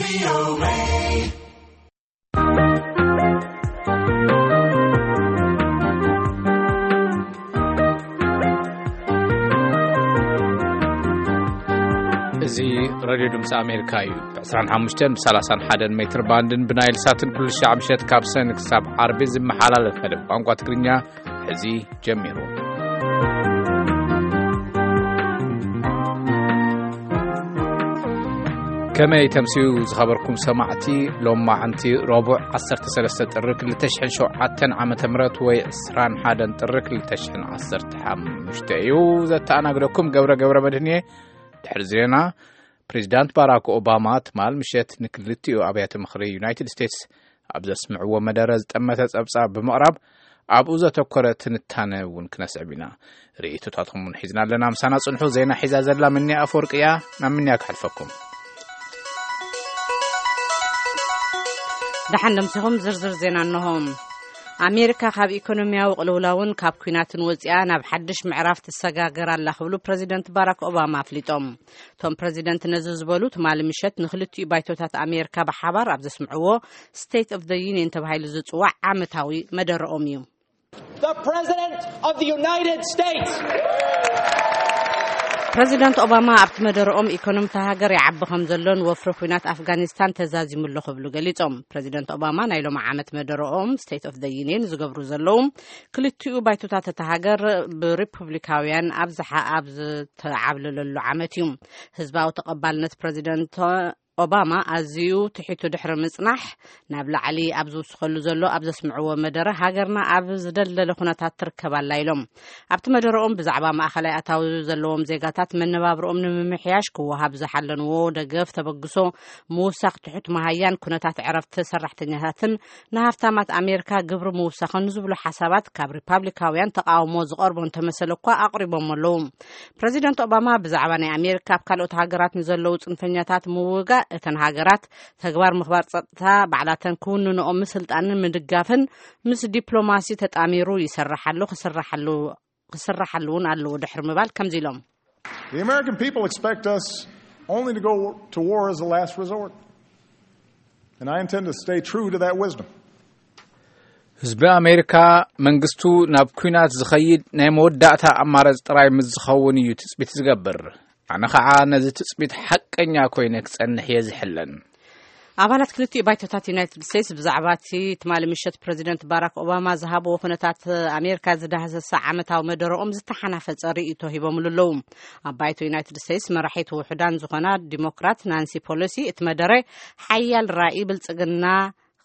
እዚ ሬድዮ ድምፂ ኣሜሪካ እዩ። ብ ዕስራን ሓሙሽተን ብ ሰላሳን ሓደን ሜትር ባንድን ብናይል ሳትን ኩሉ ሻዕ ምሸት ካብ ሰን ክሳብ ዓርቢ ዝመሓላለፍ መደብ ቋንቋ ትግርኛ ሕዚ ጀሚሩ። ከመይ ተምስዩ ዝኸበርኩም ሰማዕቲ? ሎማዓንቲ ረቡዕ ዓሰርተ ሰለስተ ጥሪ ክልተ ሽሕን ሸውዓተን ዓመተ ምህረት ወይ ዕስራን ሓደን ጥሪ ክልተ ሽሕን ዓሰርተ ሓሙሽተ እዩ። ዘተኣናግደኩም ገብረ ገብረ መድህን እየ። ድሕሪ ዜና፣ ፕሬዚዳንት ባራክ ኦባማ ትማል ምሸት ንክልቲኡ ኣብያተ ምኽሪ ዩናይትድ ስቴትስ ኣብ ዘስምዕዎ መደረ ዝጠመተ ጸብጻብ ብምቕራብ ኣብኡ ዘተኮረ ትንታነ እውን ክነስዕብ ኢና። ርእይቶታትኩም እውን ሒዝና ኣለና። ምሳና ጽንሑ። ዜና ሒዛ ዘላ ምንያ ኣፈወርቂ እያ። ናብ ምንያ ክሓልፈኩም። ደሓን ደምሲኹም። ዝርዝር ዜና እንሆ። ኣሜሪካ ካብ ኢኮኖሚያዊ ቅልውላውን ካብ ኲናትን ወፂኣ ናብ ሓድሽ ምዕራፍ ትሰጋገር ኣላ ክብሉ ፕሬዚደንት ባራክ ኦባማ ኣፍሊጦም። እቶም ፕሬዚደንት ነዚ ዝበሉ ትማሊ ምሸት ንክልቲኡ ባይቶታት ኣሜሪካ ብሓባር ኣብ ዘስምዕዎ ስቴት ኦፍ ዘ ዩኒየን ተባሂሉ ዝፅዋዕ ዓመታዊ መደረኦም እዩ። The President of the United States. ፕሬዚደንት ኦባማ ኣብቲ መደረኦም ኢኮኖሚ እታ ሃገር ይዓቢ ከም ዘሎን ወፍሪ ኲናት ኣፍጋኒስታን ተዛዚሙ ኣሎ ክብሉ ገሊጾም። ፕሬዚደንት ኦባማ ናይ ሎሚ ዓመት መደረኦም ስቴት ኦፍ ዘ ዩኒየን ዝገብሩ ዘለዉ ክልቲኡ ባይቶታት እታ ሃገር ብሪፑብሊካውያን ኣብዝሓ ኣብ ዝተዓብለለሉ ዓመት እዩ። ህዝባዊ ተቐባልነት ፕሬዚደንት ኦባማ ኣዝዩ ትሒቱ ድሕሪ ምጽናሕ፣ ናብ ላዕሊ ኣብ ዝውስኸሉ ዘሎ ኣብ ዘስምዕዎ መደረ፣ ሃገርና ኣብ ዝደልደለ ኩነታት ትርከብ ኣላ ኢሎም። ኣብቲ መደረኦም ብዛዕባ ማእኸላይ ኣታዊ ዘለዎም ዜጋታት መነባብርኦም ንምምሕያሽ ክወሃብ ዝሓለንዎ ደገፍ ተበግሶ ምውሳኽ፣ ትሑት መሃያን ኩነታት ዕረፍቲ ሰራሕተኛታትን ንሃፍታማት ኣሜሪካ ግብሪ ምውሳኽን ዝብሉ ሓሳባት ካብ ሪፓብሊካውያን ተቃውሞ ዝቐርቦ እንተመሰለ እኳ ኣቕሪቦም ኣለዉ። ፕረዚደንት ኦባማ ብዛዕባ ናይ ኣሜሪካ ኣብ ካልኦት ሃገራት ንዘለዉ ጽንፈኛታት ምውጋእ፣ እተን ሃገራት ተግባር ምኽባር ጸጥታ ባዕላተን ክውንንኦ ምስልጣንን ምድጋፍን ምስ ዲፕሎማሲ ተጣሚሩ ይሰርሕ ኣሎ፣ ክስርሓሉ እውን ኣለዎ ድሕሪ ምባል ከምዚ ኢሎም። The American people expect us only to go to war as a last resort. And I intend to stay true to that wisdom. ህዝቢ ኣሜሪካ መንግስቱ ናብ ኲናት ዝኸይድ ናይ መወዳእታ ኣማራጺ ጥራይ ምስ ዝኸውን እዩ ትጽቢት ዝገብር። ኣነ ኸዓ ነዚ ትጽቢት ሓቀኛ ኮይነ ክጸንሕ እየ ዝሕለን። ኣባላት ክልቲኡ ባይቶታት ዩናይትድ ስቴትስ ብዛዕባ እቲ ትማሊ ምሸት ፕረዚደንት ባራክ ኦባማ ዝሃብዎ ኩነታት ኣሜሪካ ዝዳህሰሰ ዓመታዊ መደረኦም ዝተሓናፈጸ ርእይቶ ሂቦምሉ ኣለዉ። ኣብ ባይቶ ዩናይትድ ስቴትስ መራሒት ውሑዳን ዝኾና ዲሞክራት ናንሲ ፖሎሲ እቲ መደረ ሓያል ራእይ ብልጽግና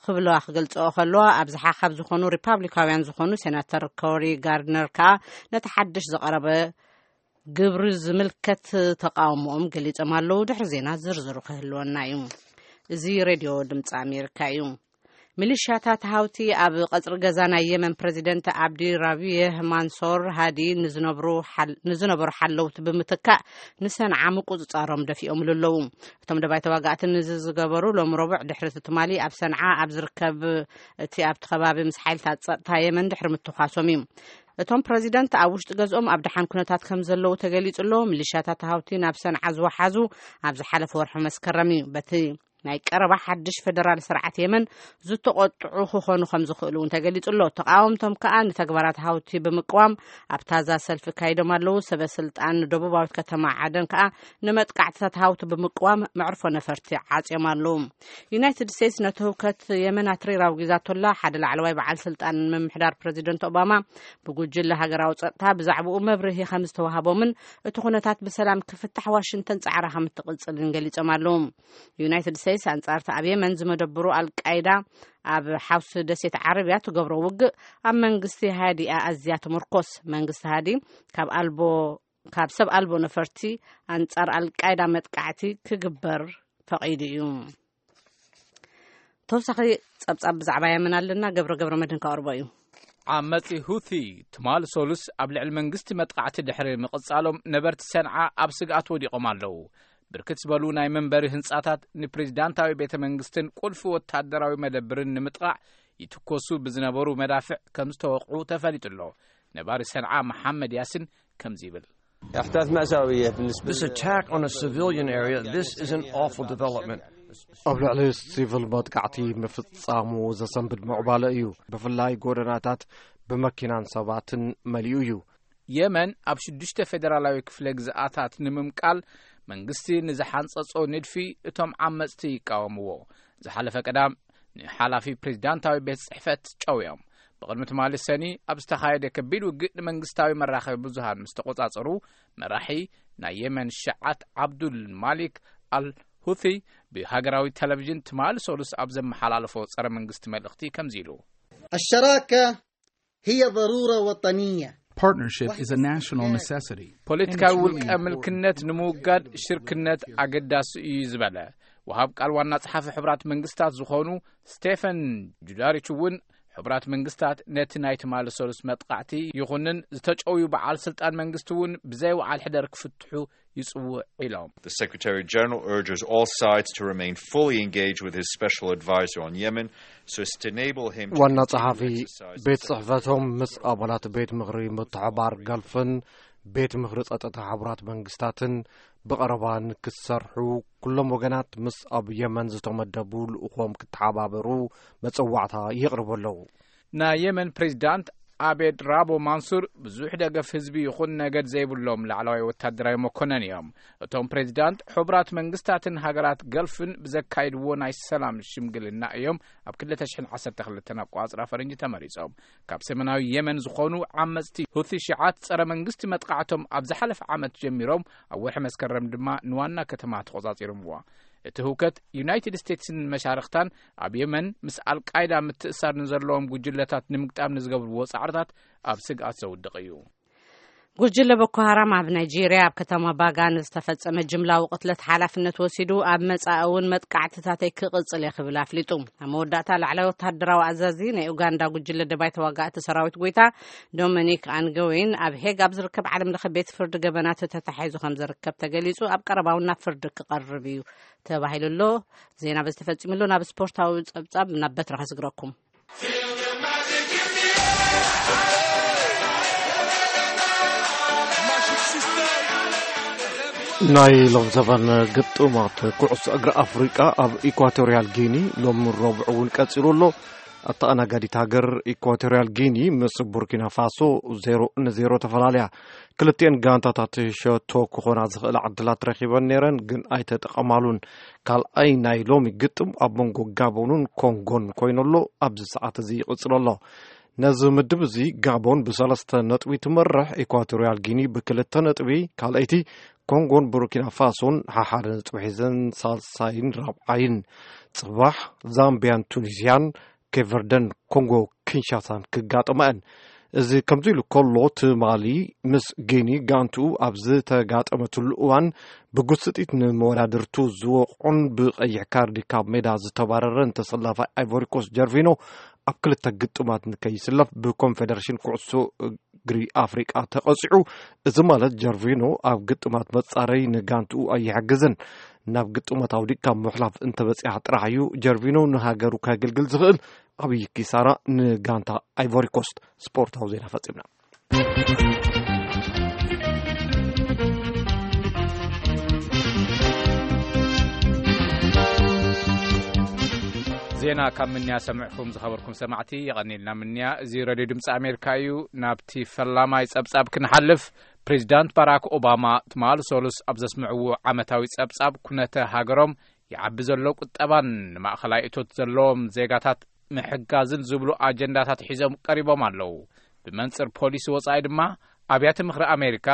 ክብለዋ ክገልጽኦ ከለዋ፣ ኣብዝሓ ካብ ዝኾኑ ሪፓብሊካውያን ዝኾኑ ሴናተር ኮሪ ጋርድነር ከኣ ነቲ ሓድሽ ዝቐረበ ግብሪ ዝምልከት ተቃውሞኦም ገሊጾም ኣለዉ። ድሕሪ ዜና ዝርዝሩ ክህልወና እዩ። እዚ ሬድዮ ድምፂ ኣሜሪካ እዩ። ሚሊሻታት ሃውቲ ኣብ ቀጽሪ ገዛ ናይ የመን ፕረዚደንት ኣብዲ ራቢህ ማንሶር ሃዲ ንዝነብሩ ሓል-፣ ንዝነበሩ ሓለውቲ ብምትካእ ንሰንዓ ምቁጽጻሮም ደፊኦምሉ ኣለዉ። እቶም ደባይ ተዋጋእቲ ንዚ ዝገበሩ ሎም ረቡዕ ድሕሪ እቲ ትማሊ ኣብ ሰንዓ ኣብ ዝርከብ እቲ ኣብቲ ከባቢ ምስ ሓይልታት ጸጥታ የመን ድሕሪ ምትኳሶም እዩ። እቶም ፕረዚደንት ኣብ ውሽጢ ገዝኦም ኣብ ደሓን ኩነታት ከም ዘለዉ ተገሊጹ ኣሎ። ሚሊሻታት ሃውቲ ናብ ሰንዓ ዝወሓዙ ኣብ ዝሓለፈ ወርሒ መስከረም እዩ። በቲ ናይ ቀረባ ሓድሽ ፈደራል ስርዓት የመን ዝተቖጥዑ ክኾኑ ከም ዝኽእሉ እውን ተገሊጹ ኣሎ። ተቃወምቶም ከኣ ንተግባራት ሃውቲ ብምቅዋም ኣብ ታዛ ሰልፊ ካይዶም ኣለዉ። ሰበ ስልጣን ደቡባዊት ከተማ ዓደን ከኣ ንመጥቃዕትታት ሃውቲ ብምቅዋም መዕርፎ ነፈርቲ ዓጽዮም ኣለዉ። ዩናይትድ ስቴትስ ነቲ ህውከት የመን ኣትሪራ ኣውጊዛቶ ኣላ። ሓደ ላዕለዋይ በዓል ስልጣን ምምሕዳር ፕረዚደንት ኦባማ ብጉጅለ ሃገራዊ ጸጥታ ብዛዕባኡ መብርሂ ከም ዝተዋህቦምን እቲ ኩነታት ብሰላም ክፍታሕ ዋሽንግተን ጻዕራ ከም እትቕጽልን ገሊጾም ኣለዉ። ዩናይትድ ስቴትስ ኣንጻር እቲ ኣብ የመን ዝመደብሩ ኣልቃይዳ ኣብ ሓውሲ ደሴት ዓረብያ ትገብሮ ውግእ ኣብ መንግስቲ ሃዲኣ ኣዝያ ትምርኮስ። መንግስቲ ሃዲ ካብ ኣልቦ፣ ካብ ሰብ ኣልቦ ነፈርቲ ኣንጻር ኣልቃይዳ መጥቃዕቲ ክግበር ፈቒዱ እዩ። ተወሳኺ ጸብጻብ ብዛዕባ የመን ኣለና። ገብረ ገብረ መድህን ከቕርቦ እዩ። ዓመጺ ሁቲ ትማል ሶሉስ ኣብ ልዕሊ መንግስቲ መጥቃዕቲ ድሕሪ ምቕጻሎም ነበርቲ ሰንዓ ኣብ ስግኣት ወዲቖም ኣለዉ። ብርክት ዝበሉ ናይ መንበሪ ህንጻታት ንፕሬዚዳንታዊ ቤተ መንግስትን ቁልፊ ወታደራዊ መደብርን ንምጥቓዕ ይትኮሱ ብዝነበሩ መዳፍዕ ከም ዝተወቕዑ ተፈሊጡ ኣሎ። ነባሪ ሰንዓ መሓመድ ያሲን ከምዚ ይብል። احداث مأساوية بالنسبة This attack on a civilian area, this is an awful development. ኣብ ልዕሊ ሲቪል መጥቃዕቲ ምፍጻሙ ዘሰንብድ ምዕባለ እዩ። ብፍላይ ጎደናታት ብመኪናን ሰባትን መሊኡ እዩ። የመን ኣብ ሽዱሽተ ፌደራላዊ ክፍለ ግዝኣታት ንምምቃል መንግስቲ ንዝሓንጸጾ ንድፊ እቶም ዓመጽቲ ይቃወምዎ። ዝሓለፈ ቀዳም ንሓላፊ ፕሬዚዳንታዊ ቤት ጽሕፈት ጨውዮም። ብቕድሚ ትማሊ ሰኒ ኣብ ዝተኻየደ ከቢድ ውግእ ንመንግስታዊ መራኸቢ ብዙሃን ምስ ተቖጻጸሩ፣ መራሒ ናይ የመን ሸዓት ዓብዱል ማሊክ ኣል ሁቲ ብሃገራዊ ቴሌቪዥን ትማሊ ሰሉስ ኣብ ዘመሓላለፎ ጸረ መንግስቲ መልእኽቲ ከምዚ ኢሉ። الشراكة هي ضرورة وطنية. Partnership is a national necessity. ፖለቲካዊ ውልቀ ምልክነት ንምውጋድ ሽርክነት ኣገዳሲ እዩ ዝበለ ወሃብ ቃል ዋና ጸሓፊ ሕቡራት መንግስታት ዝኾኑ ስቴፈን ጁዳሪች እውን፣ ሕቡራት መንግስታት ነቲ ናይ ትማሊ ሰሉስ መጥቃዕቲ ይኹንን ዝተጨውዩ በዓል ስልጣን መንግስቲ እውን ብዘይ ወዓል ሕደር ክፍትሑ ይጽውዕ ኢሎም። The Secretary General urges all sides to remain fully engaged with his special advisor on Yemen, so as to enable him to ዋና continue ጸሓፊ to exercise ቤት ጽሕፈቶም ምስ ኣባላት ቤት ምኽሪ ምትሕባር ገልፍን ቤት ምኽሪ ጸጥታ ሕቡራት መንግስታትን ብቐረባ ንክሰርሑ፣ ኩሎም ወገናት ምስ ኣብ የመን ዝተመደቡ ልኡኾም ክተሓባበሩ መጸዋዕታ የቕርቡ ኣለዉ። ናይ የመን ፕሬዚዳንት ኣቤድ ራቦ ማንሱር ብዙሕ ደገፍ ህዝቢ ይኹን ነገድ ዘይብሎም ላዕለዋይ ወታደራዊ መኮነን እዮም። እቶም ፕሬዚዳንት ሕቡራት መንግስታትን ሃገራት ገልፍን ብዘካይድዎ ናይ ሰላም ሽምግልና እዮም ኣብ ክልተ ሽሕን ዓሰርተ ክልተን ኣቋጽራ ፈረንጂ ተመሪጾም። ካብ ሰሜናዊ የመን ዝኾኑ ዓመጽቲ ሁቲ ሽዓት ጸረ መንግስቲ መጥቃዕቶም ኣብ ዝሓለፈ ዓመት ጀሚሮም፣ ኣብ ወርሒ መስከረም ድማ ንዋና ከተማ ተቖጻጺሮምዋ። እቲ ህውከት ዩናይትድ ስቴትስን መሻርኽታን ኣብ የመን ምስ ኣልቃይዳ ምትእሳር ንዘለዎም ጉጅለታት ንምግጣም ንዝገብርዎ ጻዕርታት ኣብ ስግኣት ዘውድቕ እዩ። ጉጅለ ቦኮ ሃራም ኣብ ናይጄርያ ኣብ ከተማ ባጋ ንዝተፈጸመ ጅምላዊ ቅትለት ሓላፍነት ወሲዱ፣ ኣብ መጻኢ እውን መጥቃዕትታተይ ክቕጽል እየ ክብል ኣፍሊጡ። ኣብ መወዳእታ ላዕላይ ወታደራዊ ኣዛዚ ናይ ኡጋንዳ ጉጅለ ደባይ ተዋጋእቲ ሰራዊት ጎይታ ዶሚኒክ ኣንገዌን ኣብ ሄግ ኣብ ዝርከብ ዓለም ለኸ ቤት ፍርዲ ገበናት ተታሒዙ ከም ዝርከብ ተገሊጹ፣ ኣብ ቀረባ እውን ናብ ፍርዲ ክቐርብ እዩ ተባሂሉ ኣሎ። ዜና በዚ ተፈጺሙ ኣሎ። ናብ ስፖርታዊ ጸብጻብ ናብ በትሪ ከስግረኩም። ናይ ሎም ዘበን ግጥማት ኩዕሶ እግሪ ኣፍሪቃ ኣብ ኢኳቶሪያል ጊኒ ሎም ረቡዕ እውን ቀጺሉ ኣሎ። ኣተኣናጋዲት ሃገር ኢኳቶሪያል ጊኒ ምስ ቡርኪና ፋሶ ዜሮ ንዜሮ ተፈላለያ። ክልቲኤን ጋንታታት ሸቶ ክኾና ዝኽእላ ዕድላት ረኺበን ነይረን፣ ግን ኣይተጠቐማሉን። ካልኣይ ናይ ሎሚ ግጥም ኣብ መንጎ ጋቦንን ኮንጎን ኮይኑሎ ኣብዚ ሰዓት እዚ ይቕጽል ኣሎ። ነዚ ምድብ እዚ ጋቦን ብሰለስተ ነጥቢ ትመርሕ፣ ኢኳቶሪያል ጊኒ ብክልተ ነጥቢ ካልኣይቲ፣ ኮንጎን ቡርኪና ፋሶን ሓሓደ ነጥቢ ሒዘን ሳልሳይን ራብዓይን። ጽባሕ ዛምቢያን ቱኒዝያን፣ ኬቨርደን ኮንጎ ኪንሻሳን ክጋጠማ እየን። እዚ ከምዚ ኢሉ ከሎ፣ ትማሊ ምስ ጊኒ ጋንትኡ ኣብ ዝተጋጠመትሉ እዋን ብጉስጢት ንመወዳድርቱ ዝወቕዖን ብቐይሕ ካርዲ ካብ ሜዳ ዝተባረረን ተሰላፋይ ኣይቮሪኮስ ጀርቪኖ ኣብ ክልተ ግጥማት ንከይስለፍ ብኮንፌደሬሽን ኩዕሶ እግሪ ኣፍሪቃ ተቐጺዑ። እዚ ማለት ጀርቪኖ ኣብ ግጥማት መጻረይ ንጋንትኡ ኣይሕግዝን። ናብ ግጥማት ኣውዲቅ ካብ ምሕላፍ እንተበጺሓ ጥራሕ እዩ ጀርቪኖ ንሃገሩ ከገልግል ዝኽእል። ዓብዪ ኪሳራ ንጋንታ ኣይቮሪኮስት። ስፖርታዊ ዜና ፈጺምና። ዜና ካብ ምንያ ሰምዕኹም ዝኸበርኩም ሰማዕቲ፣ የቐኒልና ምንያ። እዚ ሬድዮ ድምፂ ኣሜሪካ እዩ። ናብቲ ፈላማይ ጸብጻብ ክንሓልፍ፣ ፕሬዚዳንት ባራክ ኦባማ ትማሊ ሰሉስ ኣብ ዘስምዕዎ ዓመታዊ ጸብጻብ ኩነተ ሃገሮም ይዓቢ ዘሎ ቁጠባን ንማእኸላይ እቶት ዘለዎም ዜጋታት ምሕጋዝን ዝብሉ ኣጀንዳታት ሒዞም ቀሪቦም ኣለዉ። ብመንጽር ፖሊሲ ወጻኢ ድማ፣ ኣብያተ ምኽሪ ኣሜሪካ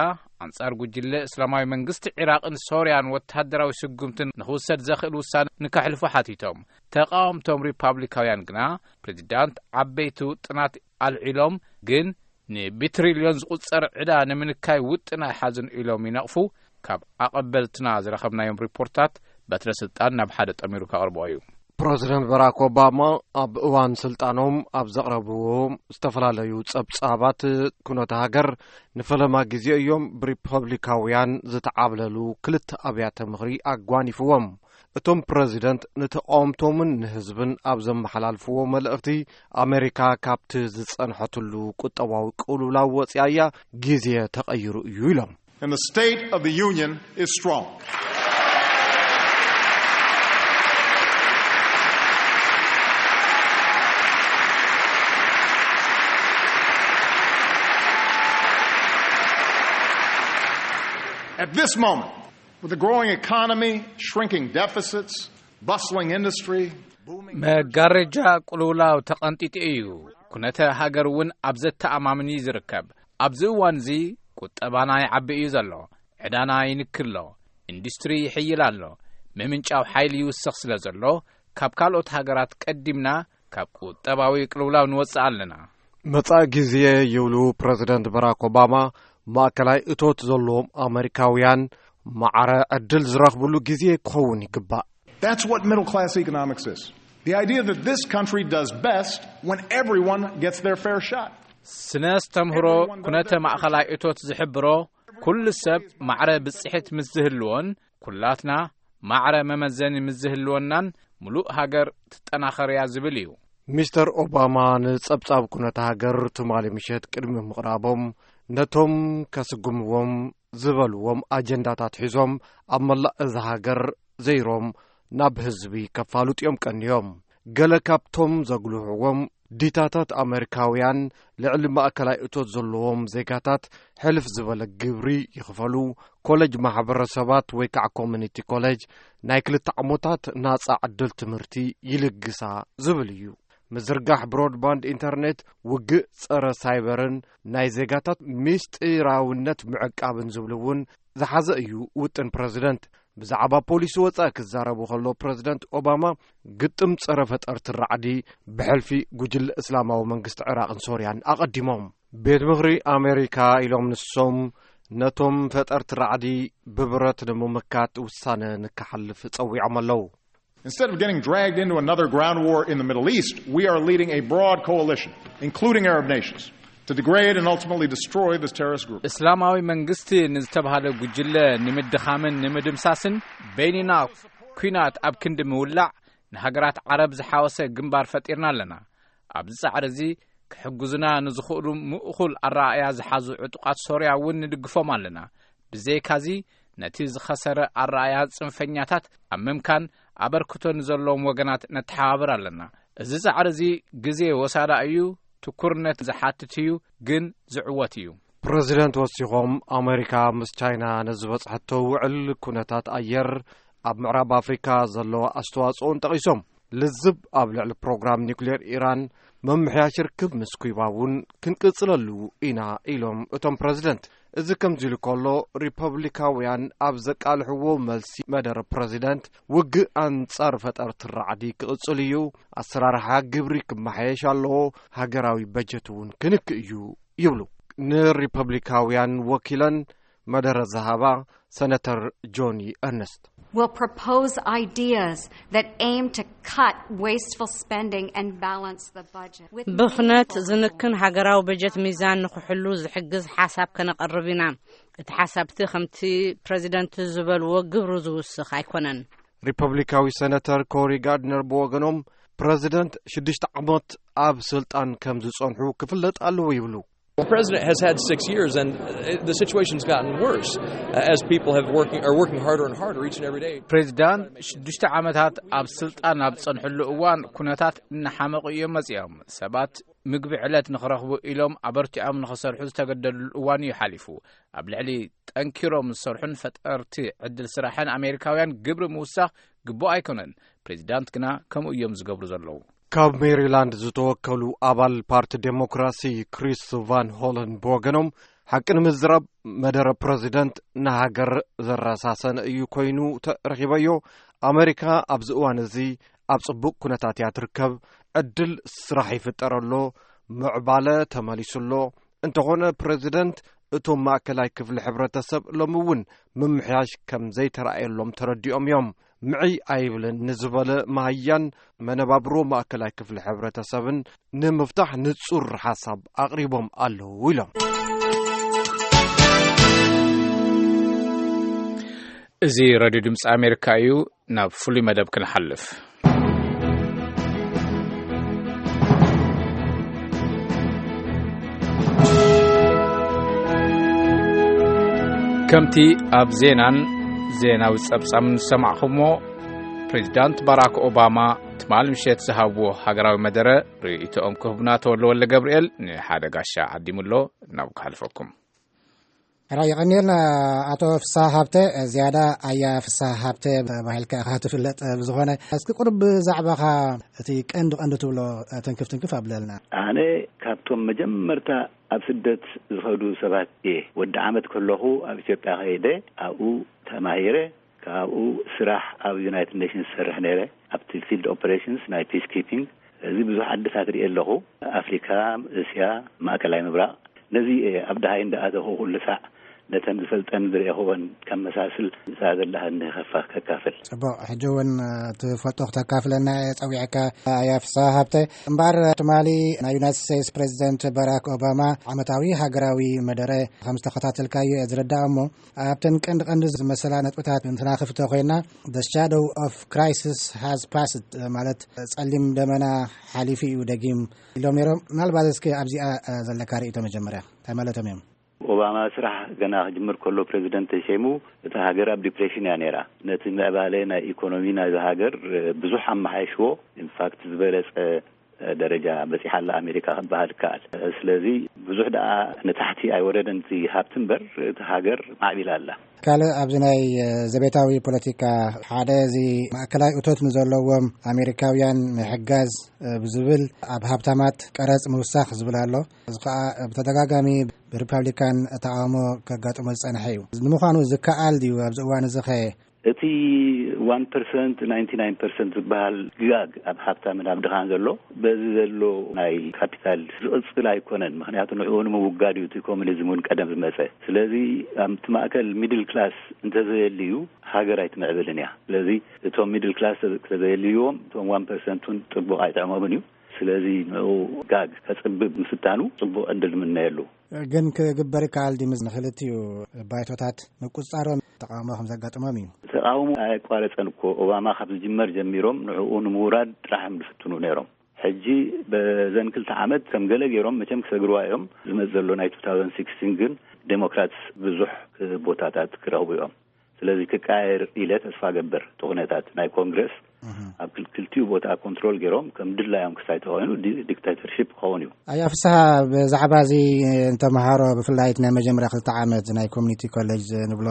ኣንጻር ጉጅለ እስላማዊ መንግስቲ ዒራቕን ሶርያን ወተሃደራዊ ስጉምትን ንኽውሰድ ዘኽእል ውሳነ ንከሕልፉ ሓቲቶም። ተቓወምቶም ሪፓብሊካውያን ግና፣ ፕሬዚዳንት ዓበይቲ ውጥናት ኣልዒሎም፣ ግን ንብትሪልዮን ዝቑጸር ዕዳ ንምንካይ ውጥን ኣይሓዝን ኢሎም ይነቕፉ። ካብ ኣቐበልትና ዝረኸብናዮም ሪፖርታት፣ በትረ ስልጣን ናብ ሓደ ጠሚሩ ከቕርቦ እዩ። ፕረዚደንት ባራክ ኦባማ ኣብ እዋን ስልጣኖም ኣብ ዘቕረብዎ ዝተፈላለዩ ጸብጻባት፣ ኩነተ ሃገር ንፈለማ ግዜ እዮም ብሪፐብሊካውያን ዝተዓብለሉ ክልተ ኣብያተ ምኽሪ ኣጓኒፍዎም። እቶም ፕረዚደንት ንተቓወምቶምን ንህዝብን ኣብ ዘመሓላልፍዎ መልእኽቲ፣ ኣሜሪካ ካብቲ ዝጸንሐትሉ ቁጠባዊ ቅልውላው ወጺኣ እያ፣ ግዜ ተቐይሩ እዩ ኢሎም። And the State of the Union is strong. At this moment, with a growing economy, shrinking deficits, bustling industry, booming መጋረጃ ቅልውላው ተቐንጢጡ እዩ። ኩነተ ሃገር እውን ኣብ ዘተኣማምን እዩ ዝርከብ። ኣብዚ እዋን እዚ ቁጠባና ይዓቢ እዩ ዘሎ። ዕዳና ይንክሎ። ኢንዱስትሪ ይሕይል ኣሎ። ምምንጫው ሓይሊ ይውስኽ ስለ ዘሎ፣ ካብ ካልኦት ሃገራት ቀዲምና ካብ ቁጠባዊ ቅልውላው ንወጽእ ኣለና። መጻኢ ግዜ ይብሉ ፕረዚደንት በራክ ኦባማ፣ ማእከላይ እቶት ዘለዎም ኣመሪካውያን ማዕረ ዕድል ዝረኽብሉ ግዜ ክኸውን ይግባእ። That's what middle class economics is. The idea that this country does best when everyone gets their fair shot. ስነ ኣስተምህሮ ኩነተ ማእኸላይ እቶት ዝሕብሮ፣ ኩሉ ሰብ ማዕረ ብጽሒት ምስ ዝህልዎን ኩላትና ማዕረ መመዘኒ ምስ ዝህልወናን ምሉእ ሃገር ትጠናኸር እያ ዝብል እዩ። ሚስተር ኦባማ ንጸብጻብ ኩነተ ሃገር ትማሊ ምሸት ቅድሚ ምቕራቦም፣ ነቶም ከስጉምዎም ዝበልዎም ኣጀንዳታት ሒዞም ኣብ መላእ እዛ ሃገር ዘይሮም ናብ ህዝቢ ከፋልጡ እዮም ቀንዮም። ገለ ካብቶም ዘጉልሕዎም፣ ዲታታት ኣመሪካውያን ልዕሊ ማእከላይ እቶት ዘለዎም ዜጋታት ሕልፍ ዝበለ ግብሪ ይኽፈሉ፣ ኮለጅ ማሕበረሰባት ወይ ከዓ ኮሚኒቲ ኮለጅ ናይ ክልተ ዓሞታት ናጻ ዕድል ትምህርቲ ይልግሳ ዝብል እዩ። ምዝርጋሕ ብሮድባንድ ኢንተርኔት፣ ውግእ ጸረ ሳይበርን ናይ ዜጋታት ምስጢራውነት ምዕቃብን ዝብሉ እውን ዝሓዘ እዩ ውጥን ፕረዚደንት። ብዛዕባ ፖሊሲ ወጻኢ ክዛረቡ ከሎ ፕረዚደንት ኦባማ፣ ግጥም ጸረ ፈጠርቲ ራዕዲ ብሕልፊ ጉጅለ እስላማዊ መንግስቲ ዕራቕን ሶርያን ኣቐዲሞም። ቤት ምኽሪ ኣሜሪካ ኢሎም ንሶም፣ ነቶም ፈጠርቲ ራዕዲ ብብረት ንምምካት ውሳነ ንክሓልፍ ጸዊዖም ኣለዉ። Instead of getting dragged into another ground war in the Middle East, we are leading a broad coalition, including Arab nations, to degrade and ultimately destroy this terrorist group. እስላማዊ መንግስቲ ንዝተባሃለ ጉጅለ ንምድኻምን ንምድምሳስን በይንና ኲናት ኣብ ክንዲ ምውላዕ፣ ንሃገራት ዓረብ ዝሓወሰ ግንባር ፈጢርና ኣለና። ኣብዚ ጻዕሪ እዚ ክሕግዙና ንዝኽእሉ ምእኹል ኣረኣእያ ዝሓዙ ዕጡቓት ሶርያ እውን ንድግፎም ኣለና። ብዘይካዚ፣ ነቲ ዝኸሰረ ኣረኣእያ ጽንፈኛታት ኣብ ምምካን ኣበርክቶ ንዘለዎም ወገናት ነተሓባብር ኣለና። እዚ ጻዕሪ እዚ ግዜ ወሳዳ እዩ፣ ትኩርነት ዝሓትት እዩ፣ ግን ዝዕወት እዩ። ፕረዚደንት ወሲኾም፣ ኣሜሪካ ምስ ቻይና ንዝበጽሐቶ ውዕል ኩነታት ኣየር ኣብ ምዕራብ ኣፍሪካ ዘለዎ ኣስተዋጽኦን ጠቒሶም፣ ልዝብ ኣብ ልዕሊ ፕሮግራም ኒውክሌር ኢራን፣ መምሕያሽ ርክብ ምስ ኩባ እውን ክንቅጽለሉ ኢና ኢሎም እቶም ፕረዚደንት። እዚ ከምዚ ኢሉ ከሎ፣ ሪፐብሊካውያን ኣብ ዘቃልሕዎ መልሲ መደረ ፕረዚደንት፣ ውግእ ኣንጻር ፈጠርቲ ራዕዲ ክቕጽል እዩ፣ ኣሰራርሓ ግብሪ ክመሓየሽ ኣለዎ፣ ሃገራዊ በጀት እውን ክንክ እዩ ይብሉ። ንሪፐብሊካውያን ወኪለን መደረ ዝሃባ ሰነተር ጆኒ ኤርነስት፣ will propose ideas that aim to cut wasteful spending and balance the budget. With ብኽነት ዝንክን ሃገራዊ በጀት ሚዛን ንኽሕሉ ዝሕግዝ ሓሳብ ከነቐርብ ኢና። እቲ ሓሳብቲ ከምቲ ፕረዚደንት ዝበልዎ ግብሩ ዝውስኽ ኣይኮነን። ሪፐብሊካዊ ሰነተር ኮሪ ጋርድነር ብወገኖም፣ ፕረዚደንት ሽዱሽተ ዓመት ኣብ ስልጣን ከም ዝጸንሑ ክፍለጥ ኣለዎ ይብሉ። The president has had six years, and uh, the situation's gotten worse uh, as people have working are working harder and harder each and every day. ፕሬዚዳንት ሽዱሽተ ዓመታት ኣብ ስልጣን ኣብ ዝጸንሕሉ እዋን ኩነታት እናሓመቑ እዮም መጺኦም። ሰባት ምግቢ ዕለት ንኽረኽቡ ኢሎም ኣበርቲዖም ንኽሰርሑ ዝተገደድሉ እዋን እዩ ሓሊፉ። ኣብ ልዕሊ ጠንኪሮም ዝሰርሑን ፈጠርቲ ዕድል ስራሕን ኣሜሪካውያን ግብሪ ምውሳኽ ግቡእ ኣይኮነን። ፕሬዚዳንት ግና ከምኡ እዮም ዝገብሩ ዘለዉ። ካብ ሜሪላንድ ዝተወከሉ ኣባል ፓርቲ ዴሞክራሲ ክሪስ ቫን ሆለን ብወገኖም፣ ሓቂ ንምዝራብ መደረ ፕረዚደንት ንሃገር ዘረሳሰነ እዩ ኮይኑ ተረኺበዮ። ኣሜሪካ ኣብዚ እዋን እዚ ኣብ ጽቡቕ ኩነታት እያ ትርከብ። ዕድል ስራሕ ይፍጠረሎ፣ ምዕባለ ተመሊሱሎ። እንተኾነ ፕረዚደንት፣ እቶም ማእከላይ ክፍሊ ሕብረተሰብ ሎሚ እውን ምምሕያሽ ከም ዘይተራእየሎም ተረዲኦም እዮም። ምዕይ ኣይብልን ንዝበለ መሃያን መነባብሮ ማእከላይ ክፍሊ ሕብረተሰብን ንምፍታሕ ንጹር ሓሳብ ኣቕሪቦም ኣለዉ ኢሎም። እዚ ሬድዮ ድምፂ ኣሜሪካ እዩ። ናብ ፍሉይ መደብ ክንሓልፍ። ከምቲ ኣብ ዜናን ዜናዊ ጸብጻብን ዝሰማዕኹሞ፣ ፕሬዚዳንት ባራክ ኦባማ ትማሊ ምሸት ዝሃብዎ ሃገራዊ መደረ ርእይቶኦም ክህቡና ተወልደ ወልደ ገብርኤል ንሓደ ጋሻ ዓዲሙሎ። ናብ ክሓልፈኩም። ራይ፣ የቐንየልና ኣቶ ፍስሃ ሃብተ። ዝያዳ ኣያ ፍስሃ ሃብተ ተባሂልካ ኢኻ ትፍለጥ። ብዝኾነ፣ እስኪ ቁሩብ ብዛዕባኻ፣ እቲ ቀንዲ ቀንዲ ትብሎ፣ ትንክፍ ትንክፍ ኣብለልና። ኣነ ካብቶም መጀመርታ ኣብ ስደት ዝኸዱ ሰባት እየ። ወዲ ዓመት ከለኹ ኣብ ኢትዮጵያ ከይደ፣ ኣብኡ ተማሂረ። ካብኡ ስራሕ ኣብ ዩናይትድ ኔሽንስ ዝሰርሕ ነይረ፣ ኣብቲ ፊልድ ኦፐሬሽንስ ናይ ፒስ ኪፒንግ። እዚ ብዙሕ ዓድታት ርእየ ኣለኹ፣ ኣፍሪካ፣ እስያ፣ ማእከላይ ምብራቕ። ነዚ እየ ኣብ ደሃይ እንዳኣተኹ ኩሉ ሳዕ ነተን ዝፈልጠን ዝረእኹወን ከመሳስል፣ ንሳ ዘለሃኒ ከፋ-፣ ከካፍል። ጽቡቕ፣ ሕጂ እውን ትፈልጦ ክተካፍለና እየ ጸዊዐካ፣ ኣያ ፍስሃ ሃብተ። እምበኣር ትማሊ ናይ ዩናይትድ ስቴትስ ፕሬዚደንት ባራክ ኦባማ ዓመታዊ ሃገራዊ መደረ ከም ዝተኸታተልካዮ እየ ዝርዳእ። እሞ ኣብተን ቀንዲ ቀንዲ ዝመሰላ ነጥብታት እንትናኽፍቶ ኮይና፣ The shadow of crisis has passed፣ ማለት ጸሊም ደመና ሓሊፉ እዩ ደጊም ኢሎም ነይሮም። ምናልባት እስኪ ኣብዚኣ ዘለካ ርእይቶ መጀመርያ እንታይ ማለቶም እዮም? ኦባማ ስራሕ ገና ክጅምር ከሎ፣ ፕሬዚደንት ተሸይሙ፣ እታ ሃገር ኣብ ዲፕሬሽን እያ ነይራ። ነቲ ምዕባለ ናይ ኢኮኖሚ ናይዛ ሃገር ብዙሕ ኣመሓይሽዎ። ኢንፋክት ዝበለጸ ደረጃ በጺሓ ኣላ ኣሜሪካ ክበሃል ይከኣል። ስለዚ ብዙሕ ደኣ ንታሕቲ ኣይወረደን እቲ ሃብቲ እምበር፣ እቲ ሃገር ማዕቢላ ኣላ። ካልእ ኣብዚ ናይ ዘቤታዊ ፖለቲካ ሓደ እዚ ማእከላይ እቶት ንዘለዎም ኣሜሪካውያን ምሕጋዝ ብዝብል ኣብ ሃብታማት ቀረጽ ምውሳኽ ዝብል ኣሎ። እዚ ከኣ ብተደጋጋሚ ብሪፓብሊካን ተቃውሞ ከጋጥሞ ዝጸንሐ እዩ። ንምዃኑ ዝከኣል ድዩ ኣብዚ እዋን እዚ ኸ? እቲ ዋን ፐርሰንት፣ ናይንቲ ናይን ፐርሰንት ዝበሃል ጋግ ኣብ ሃብታምን ኣብ ድኻን ዘሎ፣ በዚ ዘሎ ናይ ካፒታል ዝቕጽል ኣይኮነን። ምኽንያቱ ንዕኡ ንምውጋድ እዩ እቲ ኮሙኒዝም እውን ቀደም ዝመጸ። ስለዚ ኣብቲ ማእከል ሚድል ክላስ እንተዘየልዩ፣ ሃገር ኣይትምዕብልን እያ። ስለዚ እቶም ሚድል ክላስ ተዘየልይዎም፣ እቶም ዋን ፐርሰንት እውን ጽቡቕ ኣይጥዕሞምን እዩ። ስለዚ ንኡ ጋግ ከጽብብ ምፍታኑ ጽቡቕ ዕድል ንምነየሉ። ግን ክግበር ይከኣል ድዩ? ምስ ንክልቲኡ ባይቶታት ምቁጽጻሮም ተቃውሞ ከም ዘጋጥሞም እዩ። ተቃውሞ ኣየቋረጸን እኮ። ኦባማ ካብ ዝጅመር ጀሚሮም ንዕኡ ንምውራድ ጥራሕ እዮም ዝፍትኑ ነይሮም። ሕጂ በዘን ክልተ ዓመት ከም ገለ ገይሮም መቸም ክሰግርዋ እዮም። ዝመጽእ ዘሎ ናይ ቱ ታውዘንድ ሲክስቲን ግን ዴሞክራትስ ብዙሕ ቦታታት ክረኽቡ እዮም። ስለዚ ክቀያየር ኢለ ተስፋ ገብር። እቲ ኩነታት ናይ ኮንግረስ ኣብ ክል-፣ ክልቲኡ ቦታ ኮንትሮል ገይሮም ከም ድላዮም ክሳይ ተኾይኑ ዲ-፣ ዲክታተርሺፕ ክኸውን እዩ። ኣያ ፍስሃ፣ ብዛዕባ እዚ ንተምሃሮ ብፍላይ ናይ መጀመርያ ክልተ ዓመት ናይ ኮሚኒቲ ኮሌጅ ንብሎ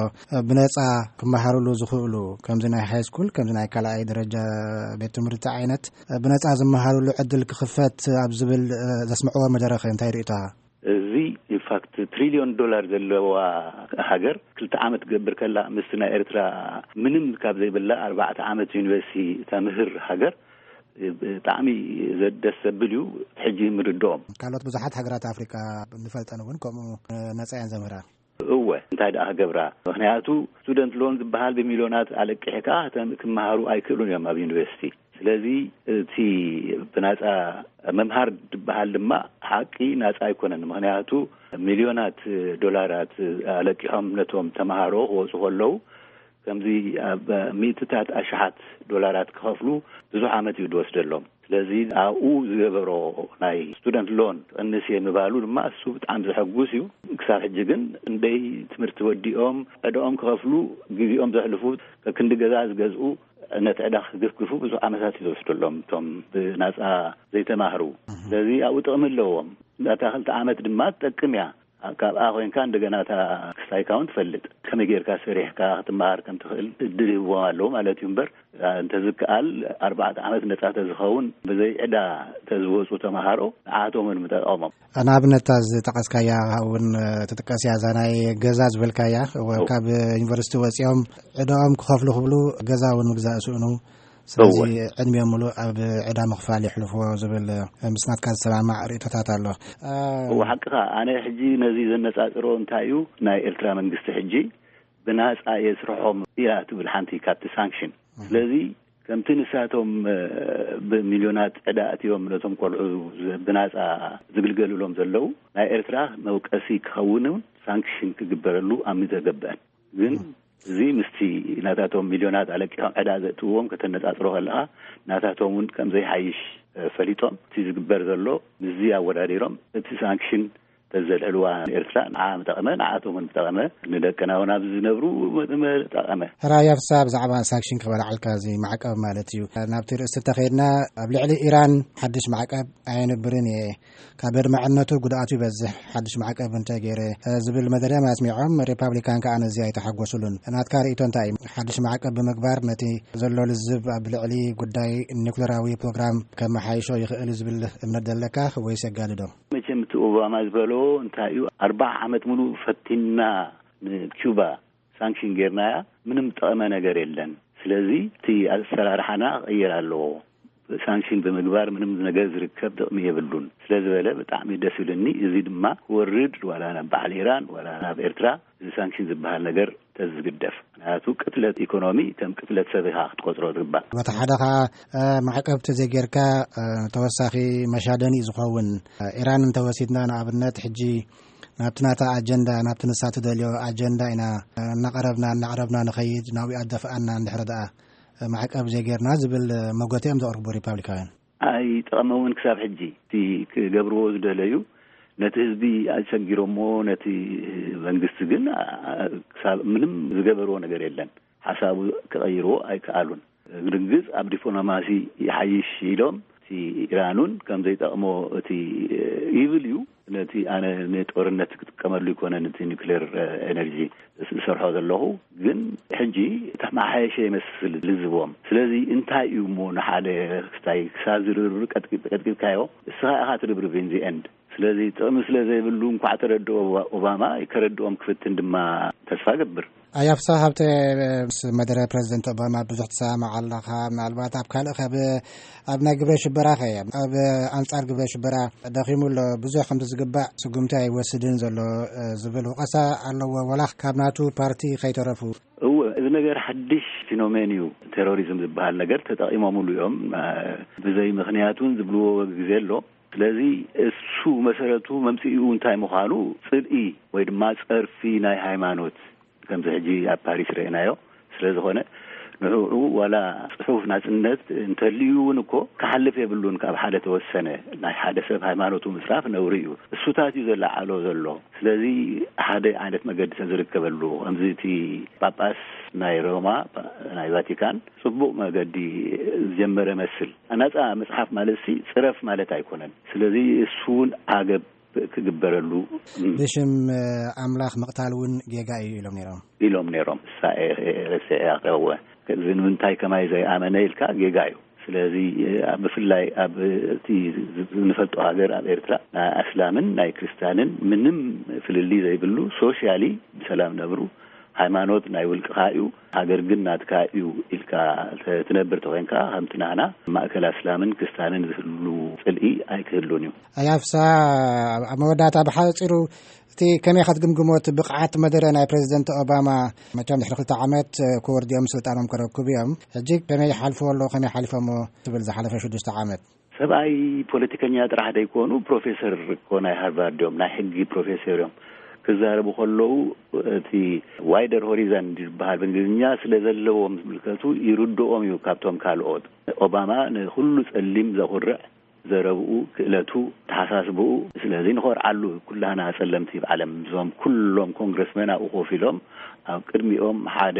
ብነጻ ክመሃሩሉ ዝኽእሉ፣ ከምዚ ናይ ሃይ ስኩል፣ ከምዚ ናይ ካልኣይ ደረጃ ቤት ትምህርቲ ዓይነት ብነጻ ዝመሃሩሉ ዕድል ክኽፈት ኣብ ዝብል ዘስምዕዎ መደረኸ እንታይ ርእይቶኻ? እዚ ኢንፋክት ትሪልዮን ዶላር ዘለዋ ሃገር ክልተ ዓመት ትገብር ከላ፣ ምስቲ ናይ ኤርትራ ምንም ካብ ዘይብላ ኣርባዕተ ዓመት ዩኒቨርሲቲ ተምህር ሃገር ብጣዕሚ ዘ-፣ ደስ ዘብል እዩ። ሕጂ ምርድኦም። ካልኦት ብዙሓት ሃገራት ኣፍሪቃ ንፈልጠን እውን ከምኡ ነጻ እየን ዘምህራ። እወ፣ እንታይ ደኣ ክገብራ? ምኽንያቱ ስቱደንት ሎን ዝበሃል ብሚልዮናት ኣለቂሕካ ክተ-፣ ክመሃሩ ኣይክእሉን እዮም ኣብ ዩኒቨርሲቲ። ስለዚ እቲ ብናጻ ምምሃር ዝበሃል ድማ ሓቂ ናጻ ኣይኮነን። ምኽንያቱ ሚልዮናት ዶላራት ኣለቂሖም ነቶም ተምሃሮ ክወጹ ከለዉ፣ ከምዚ ኣብ ሚእትታት ኣሽሓት ዶላራት ክኸፍሉ ብዙሕ ዓመት እዩ ዝወስደሎም። ስለዚ ኣብኡ ዝገበሮ ናይ ስቱደንት ሎን ቅንስ እየ ምባሉ ድማ እሱ ብጣዕሚ ዘሐጉስ እዩ። ክሳብ ሕጂ ግን እንደይ ትምህርቲ ወዲኦም ዕዳኦም ክኸፍሉ ግዜኦም ዘሕልፉ፣ ከክንዲ ገዛ ዝገዝኡ፣ ነቲ ዕዳ ክግፍግፉ ብዙሕ ዓመታት እዩ ዝወስደሎም እቶም ብናጻ ዘይተማህሩ። ስለዚ ኣብኡ ጥቕሚ ኣለዎም። እታ ክልተ ዓመት ድማ ትጠቅም እያ። ካብኣ ኮይንካ እንደገና እታ ክስታይካ እውን ትፈልጥ። ከመይ ጌርካ ሰሪሕካ ክትመሃር ከም ትኽእል እድል ይህብዎም ኣለዉ ማለት እዩ እምበር፣ እንተዝከኣል ኣርባዕተ ዓመት ነጻ ተዝኸውን ብዘይ ዕዳ ተዝወጹ ተምሃሮ ንዓቶም እውን ምጠቐሞም። ንኣብነት እታ ዝጠቐስካያ እውን ትጥቀስ እያ፣ እዛ ናይ ገዛ ዝበልካያ፣ እወ፣ እወ። ካብ ዩኒቨርሲቲ ወጺኦም ዕዳኦም ክኸፍሉ ክብሉ ገዛ እውን ምግዛእ ይስእኑ። ስለዚ እወ። ዕድሚኦም ሙሉእ ኣብ ዕዳ ምኽፋል የሕልፍዎ ዝብል ምስ ናትካ ዝሰማማዕ ርእይቶታት ኣሎ። እ፣ እወ፣ ሓቅኻ። ኣነ ሕጂ ነዚ ዘነጻጽሮ እንታይ እዩ፣ ናይ ኤርትራ መንግስቲ ሕጂ ብናጻ የስርሖም ኢላ ትብል ሓንቲ ካብቲ ሳንክሽን። እህ። ስለዚ ከምቲ ንሳቶም፣ እ፣ ብሚልዮናት ዕዳ ኣትዮም ነቶም ቆልዑ ዝ-፣ ብናጻ ዝግልገሉሎም ዘለዉ፣ ናይ ኤርትራ መውቀሲ ክኸውን እውን ሳንክሽን ክግበረሉ ኣብ ምዘገብአን። ግን እህ። እዚ ምስቲ ናታቶም ሚልዮናት ኣለቂሖም ዕዳ ዘእትውዎም ከተነጻጽሮ ከለኻ፣ ናታቶም እውን ከም ዘይሓይሽ፣ እ፣ ፈሊጦም፣ እቲ ዝግበር ዘሎ ምስዚ ኣወዳዲሮም እቲ ሳንክሽን ዘልዕልዋ ኤርትራ ንዓ ምጠቐመ፣ ንዓቶም እውን ምጠቐመ፣ ንደቅና እውን ኣብዚ ዝነብሩ ምጠቐመ። ሕራይ ኣፍሳ፣ ብዛዕባ ሳንክሽን ክበላዓልካ፣ እዚ ማዕቀብ ማለት እዩ። ናብቲ ርእስቲ እንተኸይድና፣ ኣብ ልዕሊ ኢራን ሓድሽ ማዕቀብ ኣየንብርን እየ፣ ካብ ኣድማዕነቱ ጉድኣቱ ይበዝሕ፣ ሓድሽ ማዕቀብ እንተገይረ፣ ዝብል መደረ ኣስሚዖም። ሪፓብሊካን ከኣ ነዚ ኣይተሓጎሱሉን። ናትካ ርእይቶ እንታይ እዩ? ሓድሽ ማዕቀብ ብምግባር ነቲ ዘሎ ልዝብ ኣብ ልዕሊ ጉዳይ ኒኩለራዊ ፕሮግራም ከመሓይሾ ይኽእል ዝብል እምነት ዘለካ ወይስ የጋድዶ? መቸም እቲ ኦባማ ዝበሎ እንታይ እዩ፣ ኣርባዓ ዓመት ሙሉእ ፈቲና ንኪዩባ ሳንክሽን ጌርናያ፣ ምንም ጠቐመ ነገር የለን። ስለዚ እቲ ኣሰራርሓና ክቕየር ኣለዎ። ሳንክሽን ብምግባር ምንም ነገር ዝርከብ ጥቕሚ የብሉን ስለ ዝበለ ብጣዕሚ ደስ ይብልኒ። እዚ ድማ ክወርድ ዋላ ናብ በዓል ኢራን ዋላ ናብ ኤርትራ እዚ ሳንክሽን ዝበሃል ነገር ተዝግደፍ። ምክንያቱ ቅትለት ኢኮኖሚ ከም ቅትለት ሰብ ኢኻ ክትቆጽሮ ዝግባእ። በቲ ሓደ ኸዓ፣ እ፣ ማዕቀብ ተዘይጌርካ፣ እ፣ ተወሳኺ መሻደኒ እዩ ዝኸውን። እ፣ ኢራን እንተወሲድና ንኣብነት፣ ሕጂ ናብቲ ናታ ኣጀንዳ፣ ናብቲ ንሳ ትደልዮ ኣጀንዳ ኢና፣ እ፣ እናቐረብና፣ እናቕረብና ንኸይድ፣ ናብኡ ኣደፍኣና እንድሕር ደኣ፣ እ፣ ማዕቀብ ዘይጌርና ዝብል፣ እ፣ መጎተ እዮም ዘቕርቡ ሪፓብሊካውያን። ኣይጠቐመውን ክሳብ ሕጂ። እቲ ክገብርዎ ዝደለዩ ነቲ ህዝቢ ኣሸጊሮሞ፣ ነቲ መንግስቲ ግን፣ ኣ-፣ ክሳብ ምንም ዝገበርዎ ነገር የለን። ሓሳቡ ክቐይርዎ ኣይከኣሉን። ግድንግጽ ኣብ ዲፕሎማሲ ይሓይሽ ኢሎም፣ እቲ ኢራኑን ከም ዘይጠቕሞ እቲ ይብል እዩ። ነቲ ኣነ ንጦርነት ክጥቀመሉ ይኮነን፣ እቲ ኒውክሌር ኤነርጂ ዝሰርሖ ዘለኹ፣ ግን ሕጂ ተመሓየሸ ይመስል ልዝቦም። ስለዚ እንታይ እዩ እሞ ንሓደ ክስታይ ክሳብ ዝርብርብ ቀጥቂጥ-፣ ቀጥቂጥካዮ፣ እስኻ ኢኻ ትርብርብ in the end። ስለዚ ጥቕሚ ስለ ዘይብሉ እንኳዕ ተረድኦ ኦባ-፣ ኦባማ፣ ከረድኦም ክፍትን ድማ ተስፋ ገብር። ኣያፍሳ ሃብተ፣ ምስ መደረ ፕረዚደንት ኦባማ ብዙሕ ትሰማማዕ ኣለኻ። ምናልባት ኣብ ካልእ፣ ካብ፣ ኣብ ናይ ግብረ ሽበራ ኸ፣ ኣብ ኣንጻር ግብረ ሽበራ ደኺሙ ኣሎ፣ ብዙሕ ከምቲ ዝግባእ ስጉምቲ ኣይወስድን ዘሎ፣ እ፣ ዝብል ወቐሳ ኣለዎ፣ ወላ ካብ ናቱ ፓርቲ ከይተረፉ። እወ፣ እዚ ነገር ሓድሽ ፊኖሜን እዩ። ቴሮሪዝም ዝበሃል ነገር ተጠቒሞምሉ እዮም። እ፣ ብዘይ ምኽንያት እውን ዝብልዎ ግዜ ኣሎ። ስለዚ እሱ መሰረቱ መምጽኢኡ እንታይ ምዃኑ፣ ጽልኢ ወይ ድማ ጸርፊ ናይ ሃይማኖት፣ ከምዚ ሕጂ ኣብ ፓሪስ ረእናዮ ስለ ዝኾነ፣ ንዕኡ ዋላ ጽሑፍ ናጽነት እንተልዩ እውን እኮ ክሓልፍ የብሉን። ካብ ሓደ ተወሰነ ናይ ሓደ ሰብ ሃይማኖቱ ምጽራፍ ነውሪ እዩ። እሱታት እዩ ዘለዓዕሎ ዘሎ። ስለዚ ሓደ ዓይነት መገዲ ተዝርከበሉ፣ ከምዚ እቲ ጳጳስ ናይ ሮማ፣ ናይ ቫቲካን፣ ጽቡቕ መገዲ ዝጀመረ መስል። ናጻ መጽሓፍ ማለትሲ ጽረፍ ማለት ኣይኮነን። ስለዚ እሱ እውን ዓገብ ክግበረሉ። ብሽም ኣምላኽ ምቕታል እውን ጌጋ እዩ ኢሎም ነይሮም። ኢሎም ነይሮም። እሳ እየ ረሲዐ እያ ክረወ። እዚ ንምንታይ ከማይ ዘይኣመነ ኢልካ ጌጋ እዩ። ስለዚ ኣብ፣ ብፍላይ ኣብ እቲ ንፈልጦ ሃገር፣ ኣብ ኤርትራ፣ ናይ ኣስላምን ናይ ክርስትያንን ምንም ፍልልይ ዘይብሉ፣ ሶሻሊ ብሰላም ነብሩ። ሃይማኖት ናይ ውልቅኻ እዩ፣ ሃገር ግን ናትካ እዩ ኢልካ ተ-፣ ትነብር ተኾይንካ፣ ከምቲ ናህና ማእከል ኣስላምን ክስታንን ዝህሉ ጽልኢ ኣይክህሉን እዩ። ኣያፍሳ፣ ኣብ መወዳእታ ብሓጺሩ፣ እቲ ከመይ ኢኻ ትግምግሞ፣ እቲ ብቕዓት መደረ ናይ ፕረዚደንት ኦባማ? መቸም ድሕሪ ክልተ ዓመት ክወርዱ እዮም፣ ስልጣኖም ከረክቡ እዮም። ሕጂ ከመይ ይሓልፍዎ ኣለዉ፣ ከመይ ሓሊፎሞ ትብል ዝሓለፈ ሽዱሽተ ዓመት? ሰብኣይ ፖለቲከኛ ጥራሕ ደይኮኑ፣ ፕሮፌሰር እኮ ናይ ሃርቫርድ እዮም፣ ናይ ሕጊ ፕሮፌሰር እዮም። ክዛረቡ ከለዉ እቲ ዋይደር ሆሪዘን ዝበሃል ብእንግሊዝኛ ስለ ዘለዎም ዝምልከቱ ይርድኦም እዩ ካብቶም ካልኦት። ኦባማ ንኹሉ ጸሊም ዘኹርዕ ዘረብኡ፣ ክእለቱ፣ ተሓሳስብኡ። ስለዚ ንኾርዓሉ፣ ኩላህና ጸለምቲ ኣብ ዓለም፣ እዞም ኩሎም ኮንግረስመን ኣብኡ ኮፍ ኢሎም ኣብ ቅድሚኦም ሓደ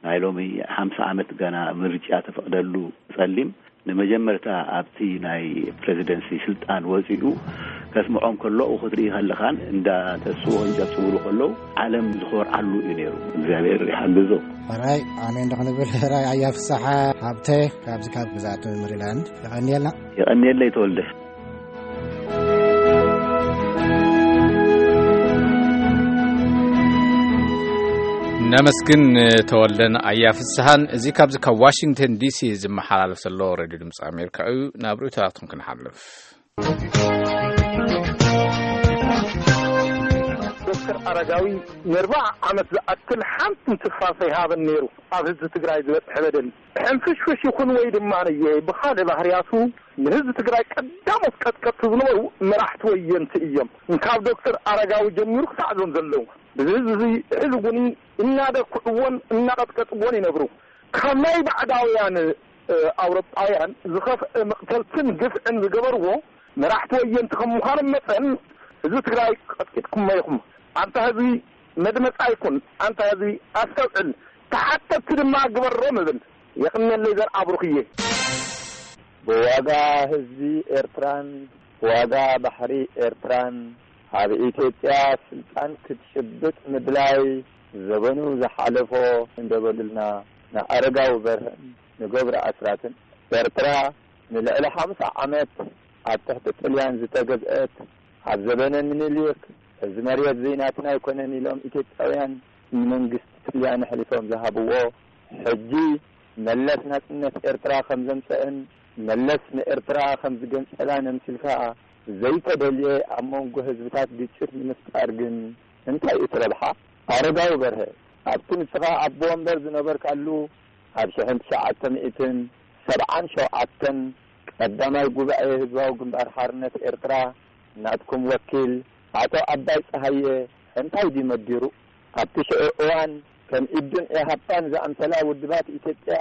ናይ ሎሚ ሓምሳ ዓመት ገና ምርጫ ተፈቕደሉ ጸሊም ንመጀመርታ ኣብቲ ናይ ፕረዚደንሲ ስልጣን ወጺኡ ከስምዖም ከሎ፣ ክትርኢ ከለኻን እንዳ ተስኡ ከንጨብጭብሉ ከለዉ ዓለም ዝኾርዓሉ እዩ ነይሩ። እግዚኣብሔር ይሓግዞ። ሕራይ ኣሜን ዶ ክንብል? ሕራይ ኣያ ፍስሓ ሃብተ ካብዚ ካብ ግዝኣት ሜሪላንድ የቐንየልና። የቐንየለይ ተወልደ። ነመስግን ተወልደን ኣያ ፍስሓን። እዚ ካብዚ ካብ ዋሽንግተን ዲሲ ዝመሓላለፍ ዘሎ ሬድዮ ድምፂ ኣሜሪካ እዩ። ናብ ርእይቶታትኩም ክንሓልፍ። ዶክተር ኣረጋዊ ንኣርባዓ ዓመት ዝኣክል ሓንቲ ትንፋስ ኣይሃበን ነይሩ። ኣብ ህዝቢ ትግራይ ዝበፅሐ በደል ሕንፍሽፍሽ ይኹን ወይ ድማ ነየ ብኻልእ ባህርያቱ ንህዝቢ ትግራይ ቀዳሞት ቀጥቀጥቲ ዝነበሩ መራሕቲ ወየንቲ እዮም። እንካብ ዶክተር ኣረጋዊ ጀሚሩ ክሳዕ እዞም ዘለዉ ብዚ ህዝቢ እዚ ሕዚ እውን እናደኩዕዎን እናቐጥቀጥዎን ይነብሩ። ካብ ናይ ባዕዳውያን፣ እ፣ ኣውሮጳውያን ዝኸፍአ መቕተልትን ግፍዕን ዝገበርዎ መራሕቲ ወየንቲ ከም ምዃኖም መጠን ህዝቢ ትግራይ ቀጥቂጥኩሞ ኢኹም። ኣንታ ህዝቢ መድመፃ ይኩን፣ ኣንታ ህዝቢ ኣስተውዕል፣ ተሓተትቲ ድማ ግበሮም እብል። የቕንየለይ ዘርኣ ብሩኽዬ። ብዋጋ ህዝቢ ኤርትራን ብዋጋ ባሕሪ ኤርትራን ኣብ ኢትዮጵያ ስልጣን ክትጭብጥ ምድላይ፣ ዘበኑ ዝሓለፎ እንደበሉልና ንኣረጋዊ በርሀን ንገብሩ ኣስራትን፣ ኤርትራ ንልዕሊ ሓምሳ ዓመት ኣብ ትሕቲ ጥልያን ዝተገዝአት፣ ኣብ ዘበነ ምኒልክ እዚ መሬት ዘይናትና ኣይኮነን ኢሎም ኢትዮጵያውያን ንመንግስቲ ጥልያን ኣሕሊፎም ዝሃብዎ፣ ሕጂ መለስ ናጽነት ኤርትራ ከም ዘምጸእን መለስ ንኤርትራ ከም ዝገንጸላን ኣምሲልካ ዘይተደልየ ኣብ መንጎ ህዝብታት ግጭት ንምፍጣር ግን እንታይ እዩ እቲ ረብሓ? ኣረጋዊ በርሀ፣ ኣብቲ ንስኻ ኣቦ ወንበር ዝነበርካሉ ኣብ ሽሕን ትሽዓተ ሚእትን ሰብዓን ሸውዓተን ቀዳማይ ጉባኤ ህዝባዊ ግንባር ሓርነት ኤርትራ ናትኩም ወኪል ኣቶ ኣባይ ጸሃየ እንታይ ድዩ መዲሩ? ኣብቲ ሽዑ እዋን ከም ኢዱን ኢሃፓን ዝኣምሰላ ውድባት ኢትዮጵያ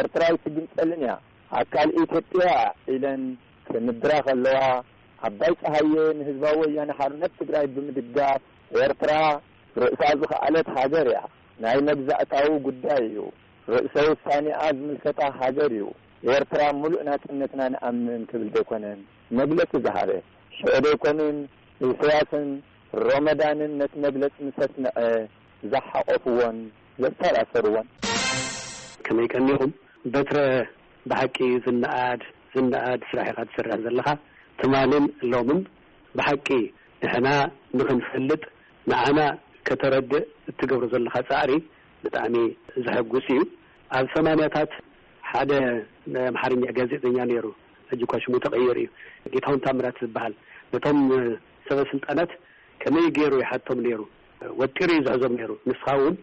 ኤርትራ ኣይትግንጸልን እያ፣ ኣካል ኢትዮጵያ እያ ኢለን ክምድራ ከለዋ፣ ኣባይ ጸሃየ ንህዝባዊ ወያነ ሓርነት ትግራይ ብምድጋፍ ኤርትራ ርእሳ ዝኸኣለት ሃገር እያ፣ ናይ መግዛእታዊ ጉዳይ እዩ፣ ርእሰ ውሳኔኣ ዝምልከታ ሃገር እዩ፣ ኤርትራ ሙሉእ ናጽነትና ንኣምን ክብል ደይኮነን መግለጺ ዝሃበ? ሽዑ ደይኮኑን ኢሳያስን ሮመዳንን ነቲ መግለጺ ምስ ኣስምዐ ዝሓቆፍዎን ዘሰራሰርዎን? ከመይ ቀኒኹም? በትረ ብሓቂ ዝነኣድ፣ ዝነኣድ ስራሕ ኢኻ ትሰርሕ ዘለኻ። ትማልን ሎምን ብሓቂ ንሕና ንኽንፈልጥ፣ ንዓና ከተረድእ እትገብሮ ዘለኻ ጻዕሪ ብጣዕሚ ዘሐጉስ እዩ። ኣብ ሰማንያታት ሓደ ናይ ኣምሓርኛ ጋዜጠኛ ነይሩ፣ ሕጂ እኳ ሽሙ ተቐይሩ እዩ፣ ጌታሁን ታምራት ዝበሃል። ነቶም ሰበ ስልጣናት ከመይ ገይሩ ይሓቶም ነይሩ፣ ወጢሩ እዩ ዝሕዞም ነይሩ። ንስኻ እውን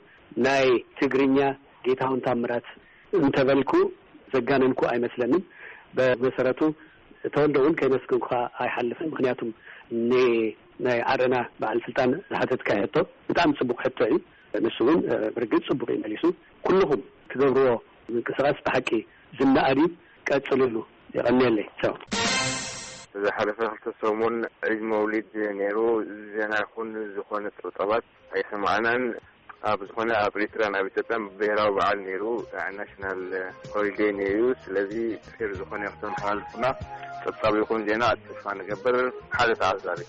ናይ ትግርኛ ጌታሁን ታምራት እንተበልኩ ዘጋነንኩ ኣይመስለንን። ብመሰረቱ ተወልደ እውን ከይመስገንኩኻ ኣይሓልፍን። ምኽንያቱም ን-፣ ናይ ዓረና በዓል ስልጣን ዝሓተትካዮ ሕቶ ብጣዕሚ ጽቡቕ ሕቶ እዩ። ንሱ እውን፣ እ፣ ብርግጽ ጽቡቕ እዩ መሊሱ። ኩልኹም ትገብርዎ ምንቅስቓስ ብሓቂ ዝነኣድ እዩ። ቀጽልሉ። የቐንየለይ። ቻው። ዝሓለፈ ክልተ ሰሙን ዒድ መውሊድ ነይሩ። ዜና ይኹን ዝኾነ ጸብጻባት ኣይሰማዕናን። ኣብ ዝኾነ ኣብ ኤርትራን ኣብ ኢትዮጵያን ብሄራዊ በዓል ነይሩ፣ ናሽናል ሆሊዴይ ነይሩ። ስለዚ ፌር ዝኾነ ይኽተመሓላልፉና ጸብጻብ ይኹን ዜና ተስፋ ንገብር። ሓደ ተዓዛቢ።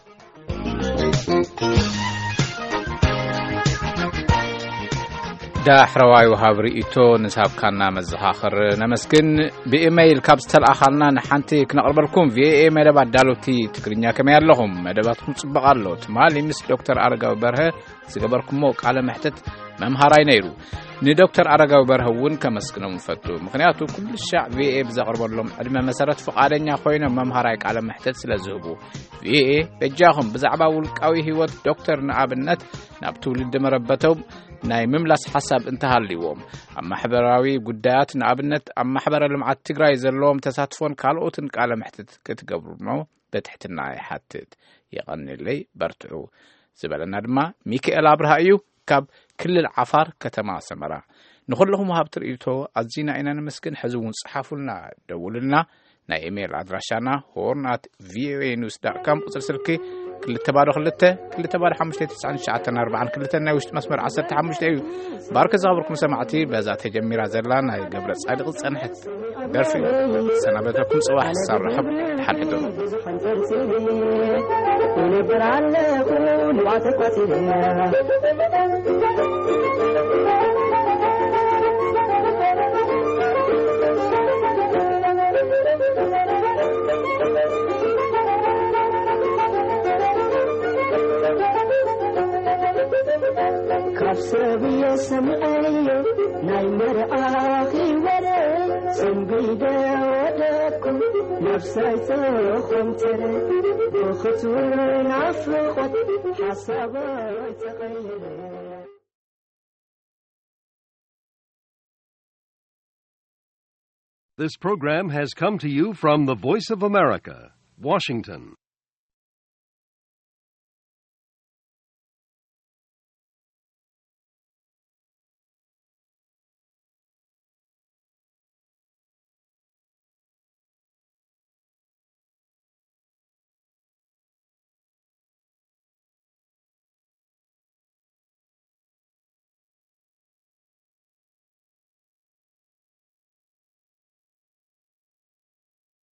ዳሕረዋይ ወሃብ ርእይቶ ንዝሃብካና መዘኻኽር ነመስግን። ብኢመይል ካብ ዝተለኣኻልና ንሓንቲ ክነቕርበልኩም። ቪኦኤ መደብ ኣዳለውቲ ትግርኛ ከመይ ኣለኹም? መደባትኩም ጽቡቕ ኣሎ። ትማሊ ምስ ዶክተር ኣረጋዊ በርሀ ዝገበርኩሞ ቃለ መሕትት መምሃራይ ነይሩ። ንዶክተር ኣረጋዊ በርሀ እውን ከመስግኖም እፈቱ። ምኽንያቱ ኩሉ ሻዕ ቪኦኤ ብዘቕርበሎም ዕድመ መሰረት ፍቓደኛ ኮይኖም መምሃራይ ቃለ መሕትት ስለ ዝህቡ። ቪኦኤ በጃኹም ብዛዕባ ውልቃዊ ህይወት ዶክተር ንኣብነት ናብ ትውልዲ መረበቶም ናይ ምምላስ ሓሳብ እንተሃልይዎም፣ ኣብ ማሕበራዊ ጉዳያት ንኣብነት ኣብ ማሕበረ ልምዓት ትግራይ ዘለዎም ተሳትፎን ካልኦትን ቃለ መሕትት ክትገብሩኖ በትሕትና ይሓትት። የቐንየለይ፣ በርትዑ ዝበለና ድማ ሚካኤል ኣብርሃ እዩ ካብ ክልል ዓፋር ከተማ ሰመራ። ንኹልኹም ወሃብቲ ርእይቶ ኣዚና ኢና ነመስግን። ሕዚ እውን ጸሓፉልና፣ ደውሉልና። ናይ ኢሜይል ኣድራሻና ሆርን ኣት ቪኦኤ ኒውስ ዳት ካም፣ ቁጽሪ ስልኪ ክልተ ባዶ ክልተ፣ ክልተ ባዶ ሓሙሽተ፣ ትስዓን ትሽዓተን ኣርባዓን ክልተን ናይ ውሽጢ መስመር ዓሰርተ ሓሙሽተ እዩ። ባርክ ዝኸበርኩም ሰማዕቲ፣ በዛ ተጀሚራ ዘላ ናይ ገብረ ጻድቕ ዝጸንሐት ደርፊ ሰናበተኩም። ጽባሕ ክሳብ ርኸብ ደሓን ሕደሩ። ይነብር ኣለኹ ንባዕተይ ቆጺረ። ካብ ሰብ እየ ሰሚዐዮ ናይ መርዓኺ ወረ፣ ሰንቢደ ወደኩ ነፍሰይ ተኾምተረ፣ ብኽትውን ናፍቖት ሓሳበይ ተቐየረ። This program has come to you from the Voice of America, Washington.